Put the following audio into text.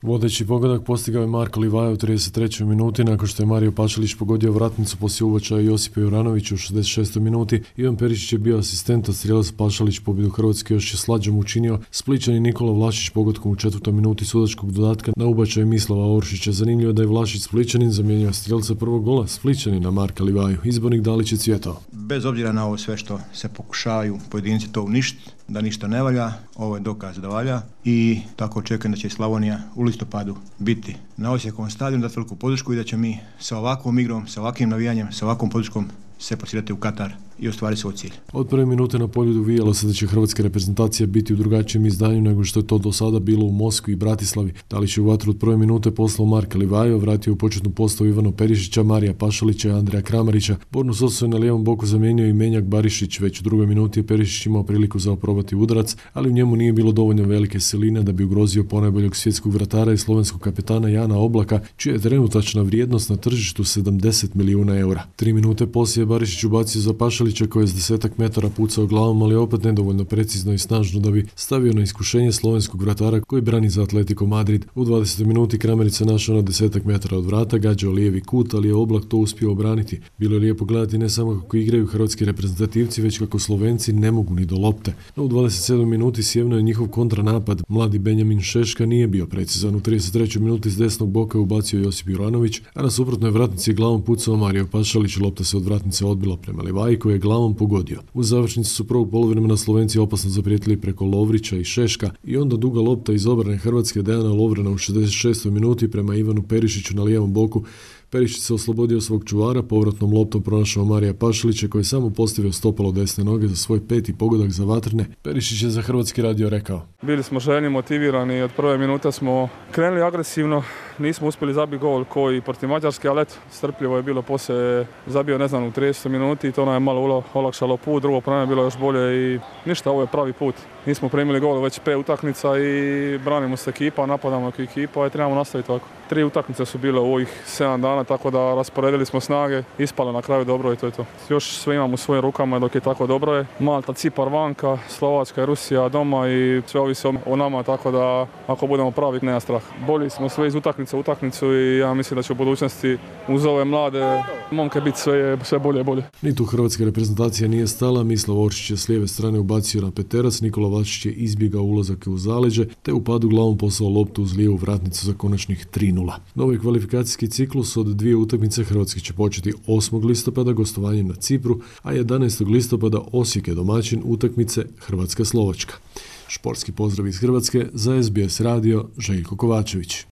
Vodeći pogodak postigao je Marko Livaja u 33. minuti nakon što je Mario Pašalić pogodio vratnicu poslije ubačaja Josipa Juranovića u 66. minuti. Ivan Perišić je bio asistent, a strijelac Pašalić pobjedu Hrvatske još je slađom učinio. Splićanin Nikola Vlašić pogodkom u 4. minuti sudačkog dodatka na ubačaj Mislava Oršića. Zanimljivo da je Vlašić Splićanin zamijenio strijelca prvog gola Splićanina Marka Livaju. Izbornik Dalić je cvjetao. Bez obzira na ovo sve što se pokušavaju pojedinci to uništiti, da ništa ne valja, ovo je dokaz da valja i tako očekujem da će Slavonija u listopadu biti na Osijekovom stadionu, dati veliku podršku i da će mi sa ovakvom igrom, sa ovakvim navijanjem, sa ovakvom podrškom se plasirati u Katar i ostvariti svoj cilj. Od prve minute na poljudu vijalo se da će hrvatska reprezentacija biti u drugačijem izdanju nego što je to do sada bilo u Moskvi i Bratislavi. Dalić je u vatru od prve minute poslao Marka Livaju, vratio u početnu postavu Ivana Perišića, Marija Pašalića i Andreja Kramarića. Bornu Sosu je na lijevom boku zamijenio i Menjak Barišić. Već u drugoj minuti je Perišić imao priliku za oprobati udarac, ali u njemu nije bilo dovoljno velike siline da bi ugrozio ponajboljeg svjetskog vratara i slovenskog kapetana Jana Oblaka, čija je trenutačna vrijednost na tržištu 70 milijuna eura. 3 minute poslije Barišić ubacio za Pašalića koji je s 10 metara pucao glavom, ali opet nedovoljno precizno i snažno da bi stavio na iskušenje slovenskog vratara koji brani za Atletico Madrid. U 20. minuti Kramarić se našao na 10 metara od vrata, gađao lijevi kut, ali je Oblak to uspio obraniti. Bilo je lijepo gledati ne samo kako igraju hrvatski reprezentativci, već kako Slovenci ne mogu ni do lopte. No u 27. minuti sjevno je njihov kontranapad. Mladi Benjamin Šeška nije bio precizan. U 33. minuti s desnog boka ubacio Josip Juranović, a na suprotnoj vratnici glavom pucao Mario Pašalić. Lopta se od vratnice odbila prema Livaji koji je glavom pogodio. U završnici su prvog poluvremena Slovenci opasno zaprijetili preko Lovrića i Šeška i onda duga lopta iz obrane Hrvatske Dejana Lovrena u 66. minuti prema Ivanu Perišiću na lijevom boku. Perišić se oslobodio svog čuvara, povratnom loptom pronašao Marija Pašalića koji je samo postavio stopalo desne noge za svoj 5. pogodak za vatrne. Perišić je za Hrvatski radio rekao: Bili smo željni, motivirani, od prve minute smo krenuli agresivno, nismo uspjeli zabiti gol koji protiv Mađarske, ali eto, strpljivo je bilo, poslije zabio u 30 minuti i to nam je malo olakšalo put, drugo pravo je bilo još bolje i ništa, ovo je pravi put. Nismo primili gol već 5 utakmica i branimo se ekipa, napadamo ekipa i trebamo nastaviti tako. 3 utakmice su bile u ovih 7 dana, tako da rasporedili smo snage, ispalo na kraju dobro i to je to. Još sve imamo u svojim rukama dok je tako dobro je. Malta, Cipar vanka, Slovačka i Rusija doma i sve ovisi o nama, tako da ako budemo pravi nema strah. Bolji smo sve iz utakmice u utakmicu i ja mislim da će u budućnosti uz ove mlade momke biti sve bolje i bolje. Ni tu hrvatska reprezentacija nije stala. Mislav Oršić je s lijeve strane ubacio na peterac, Nikola Vlašić je izbjegao ulazak u zaleđe te u padu glavom poslao loptu uz lijevu vratnicu za konačnih 3:0. Novi kvalifikacijski ciklus od 2 utakmice Hrvatske će početi 8. listopada gostovanjem na Cipru, a 11. listopada Osijek je domaćin utakmice Hrvatska-Slovačka. Športski pozdrav iz Hrvatske za SBS radio, Željko Kovačević.